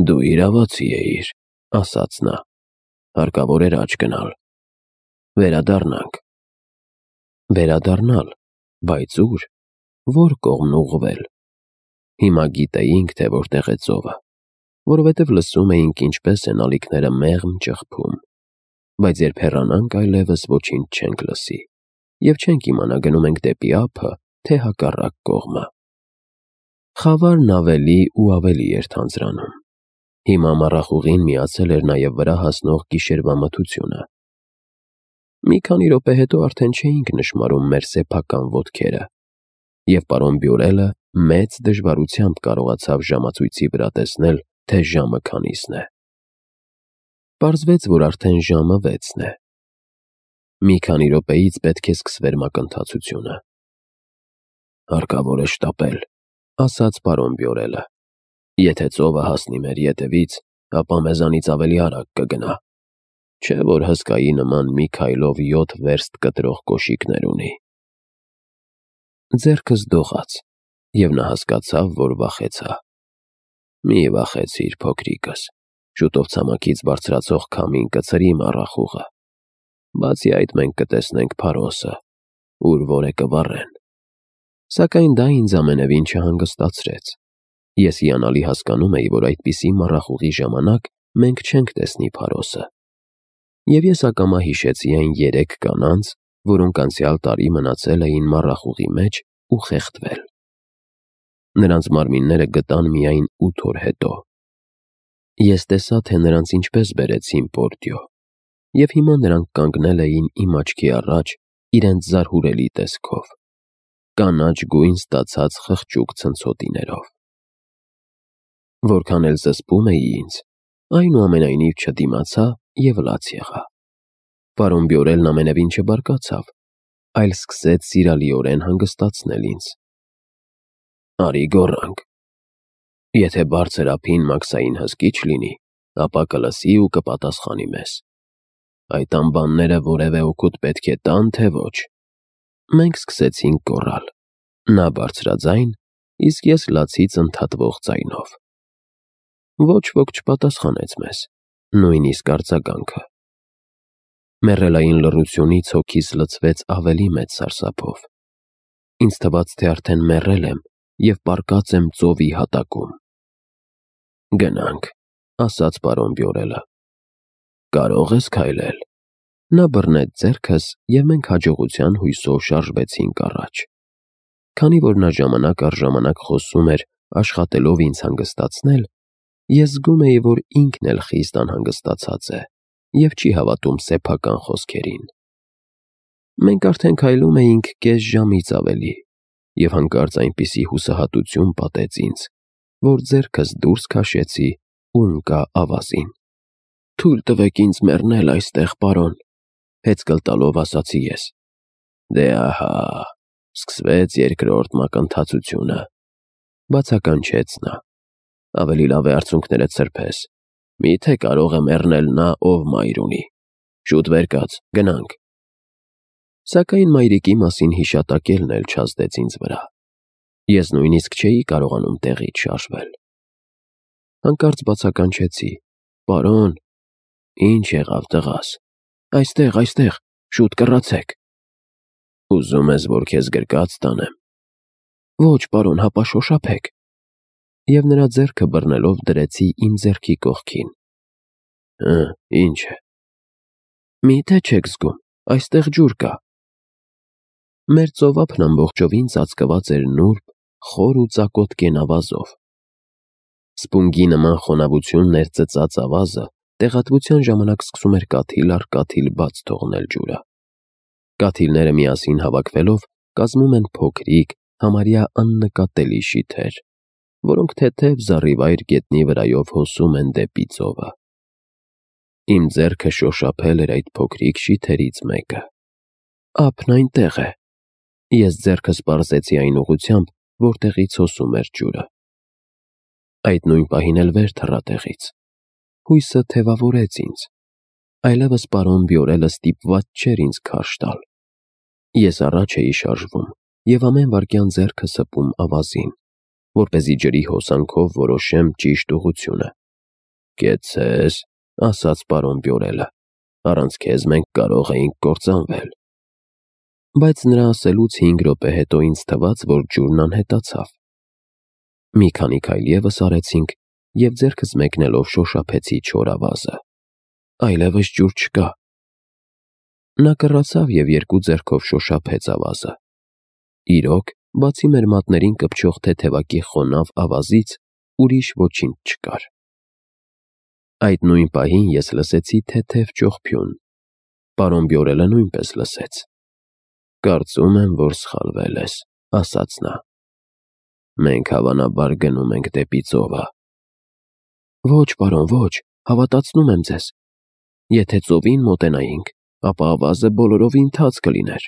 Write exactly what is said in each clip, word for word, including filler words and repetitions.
Դու իրավացի էիր, ասաց նա, հարկավոր էր աջ գնալ, վերադառնանք։ Վերադառնալ, բայց ուր, որ կողմն ուղղվել։ Հիմա գիտեինք, թե որտեղ է ծովը, որովհետև լսում էինք ինչպես են ալիքները մեղմ ճխփում, բայց երբ հեռանանք այլևս ոչինչ չենք լսի, և չենք իմանա գնում ենք դեպի ափը, թե հակառակ կողմը։ Խավարն ավելի ու ավելի էր թանձրանում։ Հիմա մառախուղին միացել էր նաև վրա հասնող գիշերվա մթությունը։ Մի քանի րոպե հետո արդեն չէինք նշմարում մեր սեփական ոտքերը, և պարոն Բյուրելը մեծ դժվարությամբ կարողացավ ժամացույցի վրա տեսնել, թե ժամը քանիսն է։ Պարզվեց, որ արդեն ժամը վեցն է։ Մի քանի րոպեից պետք է սկսվեր մակընթացությունը։ Հարկավոր է շտապել, ասաց պարոն Բյուրելը։ Եթե ծովը հասնի մեր ետևից, ապա մեզանից ավելի արագ կգնա, չէ որ հսկայի նման մի քայլով յոթ վերստ կտրող կոշիկներ ունի։ Ձեռքս դողաց, և նա հասկացավ, որ վախեցա։ Մի վախեցիր, փոքրիկս, շուտով ցամաքից բարձրացող քամին կցրի մառախուղը։ Բացի այդ մենք կտեսնենք Փարոսը, ուր որ է կվառեն։ Սակայն դա ինձ ամենևին չհանգստացրեց։ Ես հիանալի հասկանում էի, որ այդպիսի մառախուղի ժամանակ մենք չենք տեսնի Փարոսը։ Եվ ես ակամա հիշեցի այն երեք կանանց, որոնք անցյալ տարի մնացել էին մառախուղի մեջ ու խեղդվել։ Նրանց մարմինները գտան միայն ութ օր հետո։ Ես տեսա, թե նրանց ինչպես բերեցին Պորտյո, և հիմա նրանք կանգնել էին իմ աչքի առաջ իրենց զարհուրելի տեսքով, կանաչ գույն ստացած խղճուկ ցնցոտիներով։ Որքան էլ զսպում էի ինձ, այնուամենայնիվ չդիմացա և լաց եղա։ Պարոն Բյուրելն ամենևին չբարկացավ, այլ սկսեց սիրալիորեն հանգստացնել ինձ։ Արի գոռանք։ Եթե բարձր ափին մաքսային հսկիչ լինի, ապա կլսի ու կպատասխանի մեզ։ Այդ անբանները որևէ օգուտ պետք է տան, թե ոչ։ Մենք սկսեցինք գոռալ, նա բարձրաձայն, իսկ ես լացից ընդհատվող ձայնով։ Ոչ ոք չպատասխանեց մեզ, նույնիսկ արձագանքը։ Մեռելային լռությունից հոգիս լցվեց ավելի մեծ սարսափով։ Ինձ թվաց, թե արդեն մեռել եմ և պառկած եմ ծովի հատակում։ Գնանք, ասաց պարոն Բյուրելը։ Կարո՞ղ ես քայլել։ Նա բռնեց ձեռքս, և մենք հաջողության հույսով շարժվեցինք առաջ։ Քանի որ նա ժամանակ առ ժամանակ խոսում էր, աշխատելով ինձ հանգստացնել, ես զգում էի, որ ինքն էլ խիստ անհանգստացած է և չի հավատում սեփական խոսքերին։ Մենք արդեն քայլում էինք կես ժամից ավելի, և հանկարծ այնպիսի հուսահատություն պատեց ինձ, որ ձեռքս դուրս քաշեցի ու ընկա ավազին։ Թույլ տվեք ինձ մեռնել այստեղ, պարոն, հեծկլ տալով ասացի ես։ Դե ահա, սկսվեց երկրորդ մակընթացությունը, բացականչեց նա։ Ավելի լավ է արցունքներդ սրբես, միթե կարող է մեռնել նա, ով մայր ունի։ Շուտ վեր կաց, գնանք։ Սակայն մայրիկի մասին հիշատակելն էլ չազդեց ինձ վրա։ Ես նույնիսկ չէի կարողանում տեղից շարժվել։ Հանկարծ բացականչեցի. Պարոն։ Ինչ եղավ, տղաս։ Այստեղ, այստեղ, շուտ կռացեք։ Ուզում ես, որ քեզ գրկած տանեմ։ Ոչ, պարոն, հապա շոշափեք։ Եվ նրա ձեռքը բռնելով դրեցի իմ ձեռքի կողքին։ Հը, ինչ է։ Միթե չեք զգում, այստեղ ջուր կա։ Մեր ծովափն ամբողջովին ծածկված էր նուրբ, խոր ու ծակոտ կենավազով։ Սպունգի նման խոնավություններ ծծած ավազը տեղատվության ժամանակ սկսում էր կաթիլ առ կաթիլ բաց թողնել ջուրը։ Կաթիլները միասին հավաքվելով կազմում են փոքրիկ, համարյա աննկատելի շիթեր, որոնք թեթև զառիվայր գետնի վրայով հոսում են դեպի ծովը։ Իմ ձեռքը շոշափել էր այդ փոքրիկ շիթերից մեկը։ Ափն այնտեղ է։ Ես ձեռքս պարզեցի այն ուղղությամբ, որտեղից հոսում էր ջուրը։ Այդ նույն պահին էլ վեր թռա տեղից։ Հույսը թևավորեց ինձ։ Այլևս պարոն Բյուրելը ստիպված չէր ինձ քարշ տալ։ Ես առաջ էի շարժվում և ամեն վայրկյան ձեռքը սպում ավազին, որպեսզի ջրի հոսանքով որոշեմ ճիշտ ուղղությունը, Կեցցես, ասաց պարոն Բյորելը, առանց քեզ մենք կարող էինք կործանվել։ Բայց նրա ասելուց հինգ րոպե հետո ինձ թվաց, որ ջուրն անհետացավ։ Մի քանի քայլ ևս արեցինք և ձեռքս մեկնելով շոշափեցի չոր ավազը։ Այլևս ջուր չկա։ Նա կռացավ և երկու ձեռքով շոշափեց ավազը։ Իրոք, բացի մեր մատներին կպչող թեթևակի խոնավ ավազից, ուրիշ ոչինչ չկար։ Այդ նույն պահին ես լսեցի թեթև ճողփյուն։ Պարոն Բյորելը նույնպես լսեց։ Կարծում եմ, որ սխալվել ես, ասաց նա։ Մենք հավանաբար գնում ենք դեպի ծովը։ Ոչ, պարոն, ոչ, հավատացնում եմ ձեզ։ Եթե ծովին մոտենայինք, ապա ավազը բոլորովին թաց կլիներ։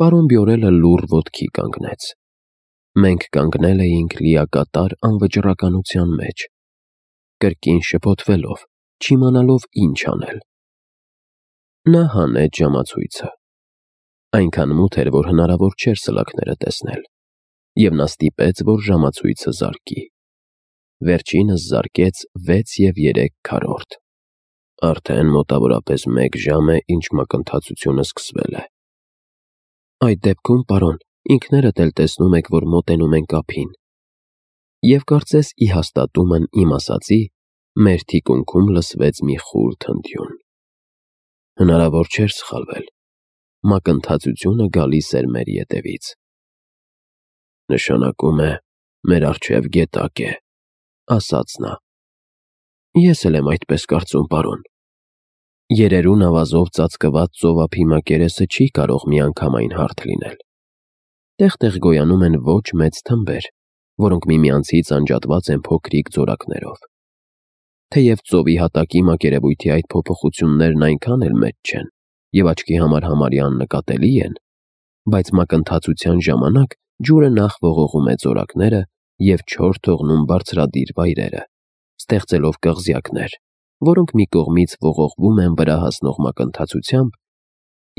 Պարոն Բյորելը լուռ ոտքի կանգնեց։ Մենք կանգնել էինք լիակատար անվճռականության մեջ, կրկին շփոթվելով, չիմանալով ինչ անել։ Նա հանեց ժամացույցը։ Այնքան մութ էր, որ հնարավոր չէր սլաքները տեսնել, և նա ստիպեց, որ ժամացույցը զարկի։ Վերջինս զարկեց վեց և երեք քառորդ։ Արդեն մոտավորապես մեկ ժամ է, ինչ մակընթացությունը սկսվել է։ Այդ դեպքում, պարոն, ինքներդ էլ տեսնում եք, որ մոտենում ենք ափին։ Եվ կարծես ի հաստատումն իմ ասածի, մեր թիկունքում լսվեց մի խուլ թնդյուն։ Հնարավոր չէր սխալվել։ Մակընթացությունը գալիս էր մեր ետևից։ Նշանակում է, մեր առջև գետակ է, ասաց նա։ Ես էլ եմ այդպես կարծում, պարոն։ Երերուն ավազով ծածկված ծովափի մակերեսը չի կարող միանգամայն հարթ լինել։ Տեղ-տեղ գոյանում են ոչ մեծ թմբեր, որոնք միմյանցից անջատված են փոքրիկ ձորակներով։ Թեև ծովի հատակի մակերևույթի այդ փոփոխություններն այնքան էլ մեծ չեն և աչքի համար համարյա աննկատելի են, բայց մակընթացության ժամանակ ջուրը նախ ողողում է ձորակները և չոր թողնում բարձրադիր վայրերը, ստեղծելով կղզյակներ, որոնք մի կողմից ողողվում են վրա հասնող մակընթացությամբ,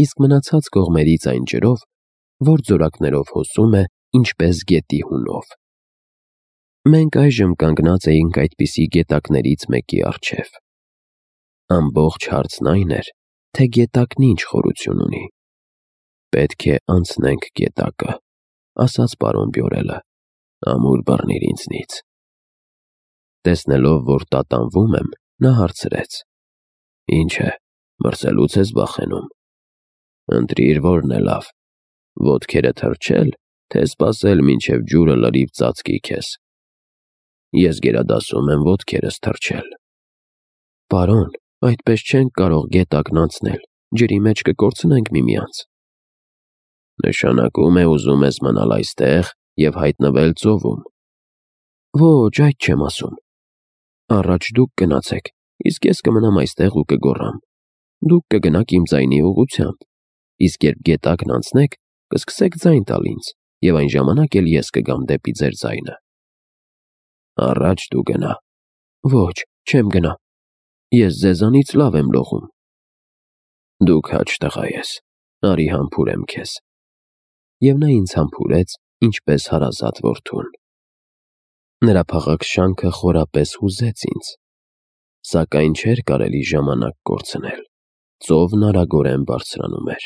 իսկ մնացած կողմերից այն ջրով, որ ձորակներով հոսում է ինչպես գետի հունով։ Մենք այժմ կանգնած էինք այդպիսի գետակներից մեկի առջև։ Ամբողջ հարցն այն էր, թե գետակն ինչ խորություն ունի։ Պետք է անցնենք գետակը, ասաց պարոն Բյորելը, ամուր բռնիր ինձնից։ Տեսնելով, որ տատանվում եմ, նա հարցրեց. Ինչ է, մրսելուց ես վախենում։ Ընտրիր, որն է լավ, ոտքերը թրջել, թե սպասել, մինչև ջուրը լրիվ ծածկի քեզ։ Ես գերադասում եմ ոտքերս թրջել։ Պարոն, այդպես չենք կարող գետակն անցնել, ջրի մեջ կկորցնենք միմյանց։ Նշանակում է ուզում ես մնալ այստեղ և հայտնվել ծովում։ Ոչ, այդ չեմ ասում։ Առաջ դուք գնացեք, իսկ ես կմնամ այստեղ ու կգոռամ։ Դուք կգնաք իմ ձայնի ուղղությամբ, իսկ երբ գետակն անցնեք, կսկսեք ձայն տալ ինձ, և այն ժամանակ էլ ես կգամ դեպի ձեր ձայնը։ Առաջ դու գնա։ Ոչ, չեմ գնա։ Ես ձեզանից լավ եմ լողում։ Դու քաջ տղա ես, արի համբուրեմ քեզ։ Եվ նա ինձ համբուրեց, ինչպես հարազատ որդուն։ Նրա փաղաքս շանքը խորապես հուզեց ինձ, սակայն չէր կարելի ժամանակ կորցնել։ Ծովն արագորեն բարձրանում էր։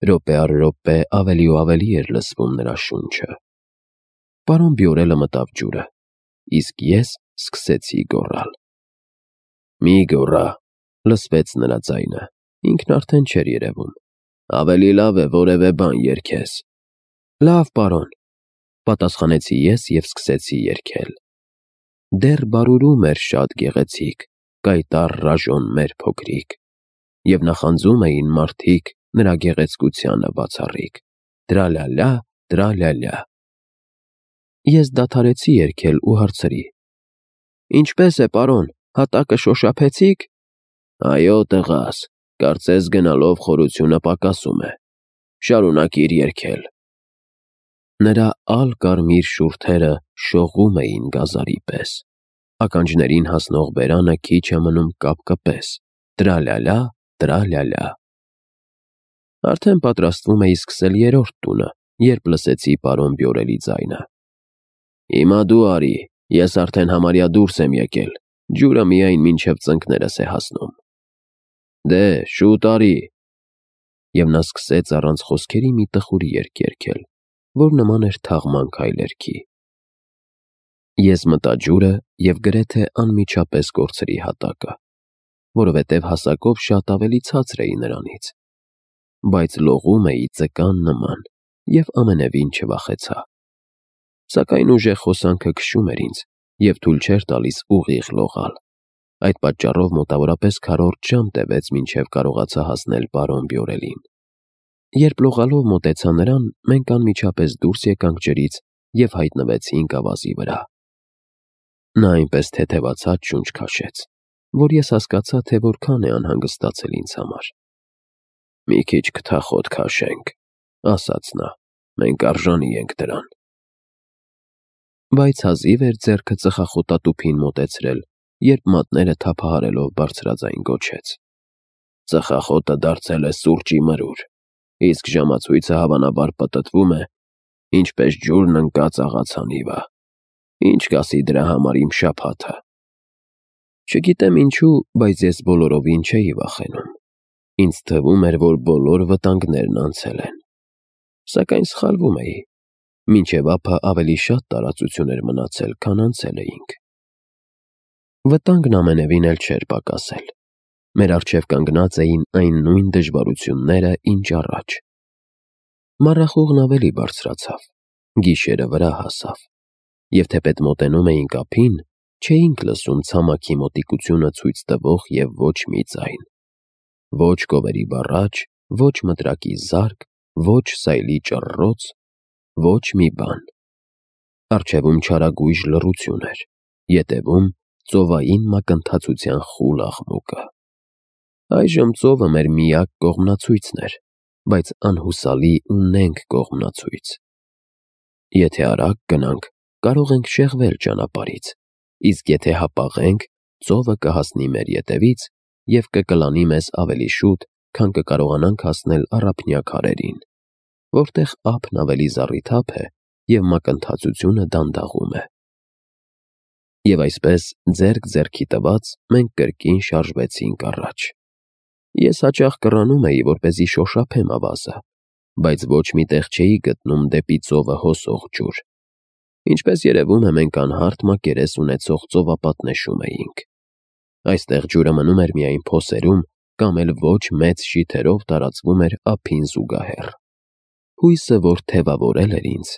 Րոպե առ րոպե ավելի ու ավելի էր լսվում նրա շունչը։ Պարոն Բյորելը մտավ ջուրը, իսկ ես սկսեցի գոռալ։ Մի գոռա, լսվեց նրա ձայնը, ինքն արդեն չէր երևում։ Ավելի լավ է որևէ բան երգես։ Լավ, պարոն, պատասխանեցի ես և սկսեցի երգել։ Դեռ բարուրում էր շատ գեղեցիկ, կայտառ ռաժոն մեր փոքրիկ, և նախանձում էին մարդիկ նրա գեղեցկությանը բացառիկ։ Տրալալա, տրալալա։ Ես դադարեցի երգել ու հարցրի. Ինչպե՞ս է, պարոն, հատակը շոշափեցի՞ք։ Այո, տղաս, կարծես գնալով խորությունը պակասում է։ Շարունակիր երգել։ Նրա ալ-կարմիր շուրթերը շողում էին գազարի պես։ Ականջներին հասնող բերանը քիչ է մնում կապկպես։ Տրալալա, տրալալա։ Արդեն պատրաստվում էի սկսել երրորդ տունը, երբ լսեցի պարոն Բյորելի ձայնը. Հիմա դու արի, ես արդեն համարյա դուրս եմ եկել, ջուրը միայն մինչև ծնկներս է հասնում։ Դե, շուտ արի։ Եվ նա սկսեց առանց խոսքերի մի տխուր երգ երգել, որ նման էր թաղման քայլերգի։ Ես մտա ջուրը և գրեթե անմիջապես կորցրի հատակը, որովհետև հասակով շատ ավելի ցածր էի նրանից, բայց լողում էի ձկան նման և ամենևին չվախեցա։ Սակայն ուժեղ հոսանքը քշում էր ինձ և թույլ չէր տալիս ուղիղ լողալ։ Այդ պատճառով մոտավորապես քառորդ ժամ տևեց, մինչև կարողացա հասնել պարոն Բյորելին։ Երբ լողալով մոտեցա նրան, մենք անմիջապես դուրս եկանք ջրից և հայտնվեցինք ավազի վրա։ Նա այնպես թեթևացած շունչ քաշեց, որ ես հասկացա, թե որքան է անհանգստացել ինձ համար։ «Մի քիչ քթախոտ քաշենք», ասաց նա, «մենք արժանի ենք դրան»։ Բայց հազիվ էր ձեռքը ծխախոտատուփին մոտեցրել, երբ մատները թափահարելով բարձրաձայն գոչեց. «Ծխախոտը դարձել է սուրճի մրուր, իսկ ժամացույցը հավանաբար պտտվում է, ինչպես ջուրն ընկած աղացանիվը։ Ինչ կասի դրա համար իմ շաբաթը»։ Չգիտեմ ինչու, բայց ես բոլորովին չէի վախենում։ Ինձ թվում էր, որ բոլոր վտանգներն անցել են։ Սակայն սխալվում էի։ Մինչև ափը ավելի շատ տարածություն էր մնացել, քան անցել էինք։ Վտանգն ամենևին էլ չէր պակասել։ Մեր առջև կանգնած էին այն նույն դժվարությունները, ինչ առաջ։ Մառախուղն ավելի բարձրացավ, գիշերը վրա հասավ, և թեպետ մոտենում էինք ափին, չէինք լսում ցամաքի մոտիկությունը ցույց տվող և ոչ մի ձայն։ Ոչ կովերի բառաչ, ոչ մտրակի զարկ, ոչ սայլի ճռռոց, ոչ մի բան։ Առջևում չարագույժ լռություն էր, ետևում ծովային մակընթացության խուլ աղմուկը։ Այժմ ծովը մեր միակ կողմնացույցն էր, բայց անհուսալի ու նենգ կողմնացույց։ Եթե արագ գնանք, կարող ենք շեղվել ճանապարհից, իսկ եթե հապաղենք, ծովը կհասնի մեր ետևից և կկլանի մեզ ավելի շուտ, քան կկարողանանք հասնել առափնյա քարերին, որտեղ ափն ավելի զառիթափ է և մակընթացությունը դանդաղում է։ Եվ այսպես, ձեռք ձեռքի տված, մենք կրկին շարժվեցինք առաջ։ Ես հաճախ կռանում էի, որպեսզի շոշափեմ ավազը, բայց ոչ մի տեղ չէի գտնում դեպի ծովը հոսող ջուր։ Ինչպես երևում է, մենք անհարթ մակերես ունեցող ծովապատ նշում էինք։ Այստեղ ջուրը մնում էր միայն փոսերում կամ էլ ոչ մեծ շիթերով տարածվում էր ափին զուգահեռ։ Հույսը, որ թևավորել էր ինձ,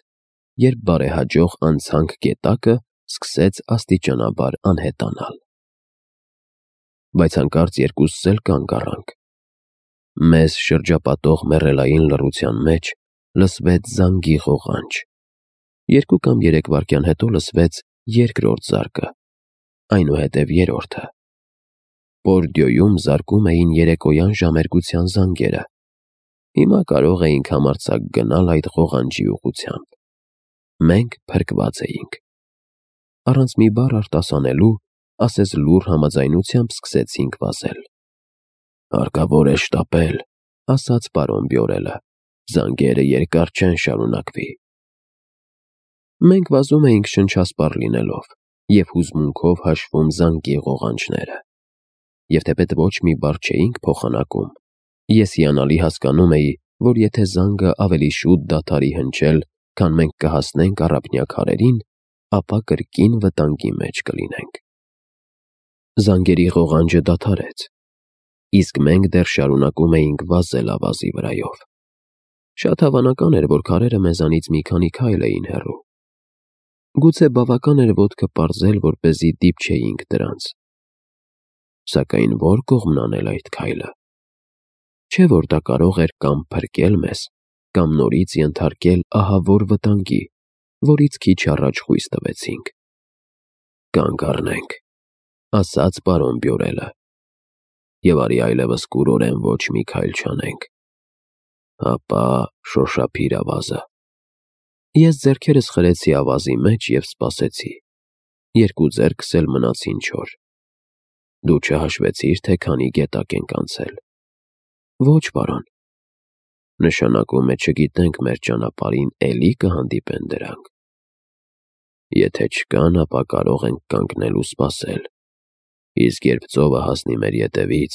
երբ բարեհաջող անցանք գետակը, սկսեց աստիճանաբար անհետանալ։ Բայց հանկարծ երկուսս էլ կանգ առանք։ Մեզ շրջապատող մեռելային լռության մեջ լսվեց զանգի ղողանջ։ Երկու կամ երեք վայրկյան հետո լսվեց երկրորդ զարկը, այնուհետև երրորդը։ Պորդիոյում զարկում էին երեկոյան ժամերգության զանգերը։ Հիմա կարող էինք համարձակ գնալ այդ ղողանջի ուղղությամբ։ Մենք փրկված էինք։ Առանց մի բառ արտասանելու, ասես լուռ համաձայնությամբ սկսեցինք վազել։ «Հարկավոր է շտապել», ասաց պարոն Բյորելը, «զանգերը երկար չեն շարունակվի»։ Մենք վազում էինք շնչասպառ լինելով և հուզմունքով հաշվում զանգի ղողանջները։ Եվ թեպետ ոչ մի բառ չէինք փոխանակում, ես հիանալի հասկանում էի, որ եթե զանգը ավելի շուտ դադարի հնչել, քան մենք կհասնենք առափնյա քարերին, ապա կրկին վտանգի մեջ կլինենք։ Զանգերի ղողանջը դադարեց, իսկ մենք դեռ շարունակում էինք վազել ավազի վրայով։ Շատ հավանական էր, որ քարերը մեզանից մի քանի քայլ էին հեռու։ Գուցե բավական էր ոտքը պարզել, որպեսզի դիպչեինք դրանց։ Սակայն ո՞ր կողմն անել այդ քայլը։ Չէ՞ որ դա կարող էր կամ փրկել մեզ, կամ նորից ենթարկել ահավոր վտանգի, որից քիչ առաջ խույս տվեցինք։ «Կանգ առնենք», ասաց պարոն Բյորելը, «և արի այլևս կուրորեն ոչ մի քայլ չանենք։ Հապա շոշափիր ավազը»։ Ես ձեռքերս խրեցի ավազի մեջ և սպասեցի։ Երկու ձեռքս էլ մնացին չոր։ «Դու չհաշվեցի՞ր, թե քանի գետակ ենք անցել»։ «Ոչ, պարոն»։ «Նշանակում է չգիտենք մեր ճանապարհին էլի կհանդիպեն դրանք»։ «Եթե չկան, ապա կարող ենք կանգնել ու սպասել»։ Իսկ երբ ծովը հասնի մեր ետևից,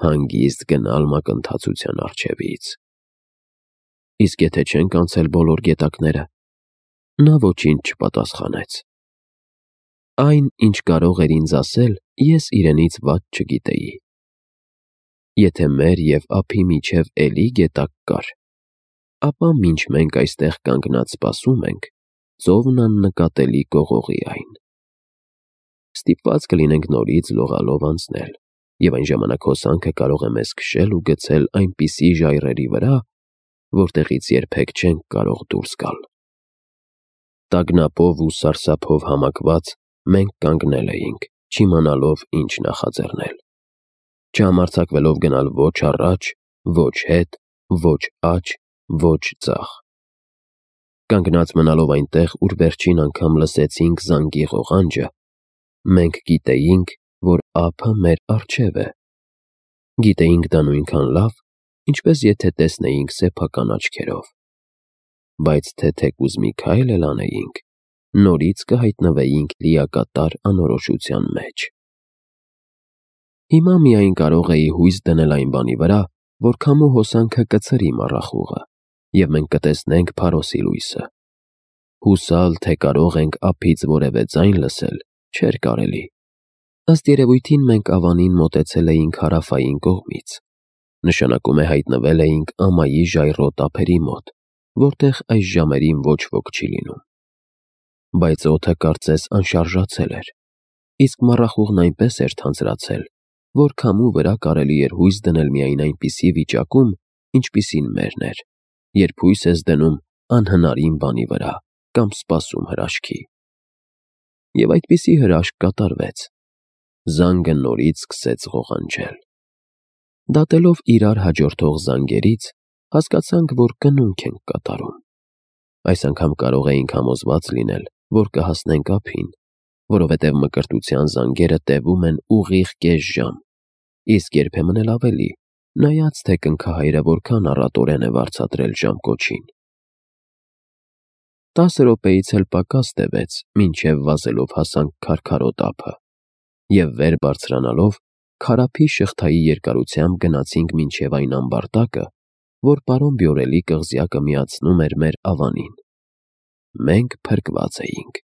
հանգիստ գնալ մակընթացության առջևից։ Իսկ եթե չենք անցել բոլոր գետակները, նա ոչինչ չպատասխանեց։ Այն, ինչ կարող էր ինձ ասել, ես իրենից վատ չգիտեի։ Եթե մեր և ափի միջև էլի գետակ կար, ապա մինչ մենք այստեղ կանգնած սպասում ենք, ծովն աննկատելի կողողի այն։ Ստիպված կլինենք նորից լողալով անցնել, և այն ժամանակ հոսանքը կարող է մեզ քշել ու գցել այնպիսի ժայռերի վրա, որտեղից երբեք չենք կարող դուրս գալ։ Տագնապով ու սարսափով համակված մենք կանգնել էինք, չիմանալով ինչ նախաձեռնել, չհամարձակվելով գնալ ոչ առաջ, ոչ հետ, ոչ աջ, ոչ ձախ։ Կանգնած մնալով այնտեղ, ուր վերջին անգամ լսեցինք զանգի ղողանջը, մենք գիտեինք, որ ափը մեր առջև է։ Գիտեինք դա նույնքան լավ, ինչպես եթե տեսնեինք սեփական աչքերով։ Բայց թե թեկուզ մի քայլ էլ անեինք, նորից կհայտնվեինք լիակատար անորոշության մեջ։ Հիմա միայն կարող էի հույս դնել այն բանի վրա, որ քամու հոսանքը կցրի մառախուղը, և մենք կտեսնենք Փարոսի լույսը։ Հուսալ, թե կարող ենք ափից որևէ ձայն լսել, չէր կարելի։ Ըստ երևույթին մենք ավանին մոտեցել էինք հարավային կողմից, նշանակում է հայտնվել էինք ամայի ժայռոտ ափերի մոտ, որտեղ այս ժամերին ոչ ոք չի լինում։ Բայց օդը կարծես անշարժացել էր, իսկ մառախուղն այնպես էր թանձրացել, որ քամու վրա կարելի էր հույս դնել միայն այնպիսի վիճակում, ինչպիսին մերն էր, երբ հույս ես դնում անհնարին բանի վրա կամ սպասում հրաշքի։ Եվ այդպիսի հրաշք կատարվեց։ Զանգը նորից սկսեց ղողանջել։ Դատելով իրար հաջորդող զանգերից, հասկացանք, որ կնունք ենք կատարում։ Այս անգամ կարող էինք համոզված լինել, որ կհասնենք ափին, որովհետև մկրտության զանգերը տևում են ուղիղ կես ժամ, իսկ երբեմն էլ ավելի, նայած թե կնքահայրը որքան առատորեն է վարձատրել ժամկոչին։ Տասը րոպեից էլ պակաս տևեց, մինչև վազելով հասանք քարքարոտ ափը, և վեր բարձրանալով քարափի շղթայի երկարությամբ գնացինք մինչև այն ամբարտակը, որ պարոն Բյորելի կղզյակը միացնում էր մեր ավանին։ Մենք փրկված էինք։